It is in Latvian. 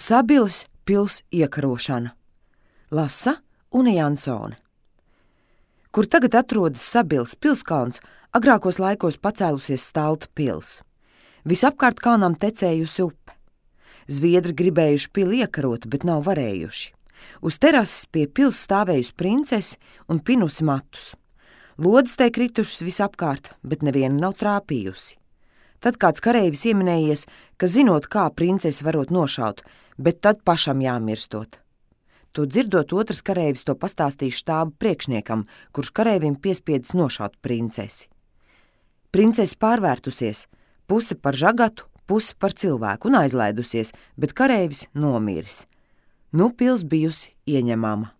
Sabiles pils iekarošana. Lasa Une Jansone. Kur tagad atrodas Sabiles pilskalns, agrākos laikos pacēlusies Stalta pils. Visapkārt kalnam tecējusi upe. Zviedri gribējuši pili iekarot, bet nav varējuši. Uz terases pie pils stāvējusi princese un pinusi matus. Lodes tai kritušas visapkārt, bet neviena nav trāpījusi. Tad kāds kareivis ieminējies, ka zinot, kā princesi varot nošaut, bet tad pašam jāmirstot. To dzirdot, otrs kareivis to pastāstīja štāba priekšniekam, kurš kareivim piespiedis nošaut princesi. Princese pārvērtusies, puse par žagatu, puse par cilvēku un aizlaidusies, bet kareivis nomiris. Nu pils bijusi ieņemama.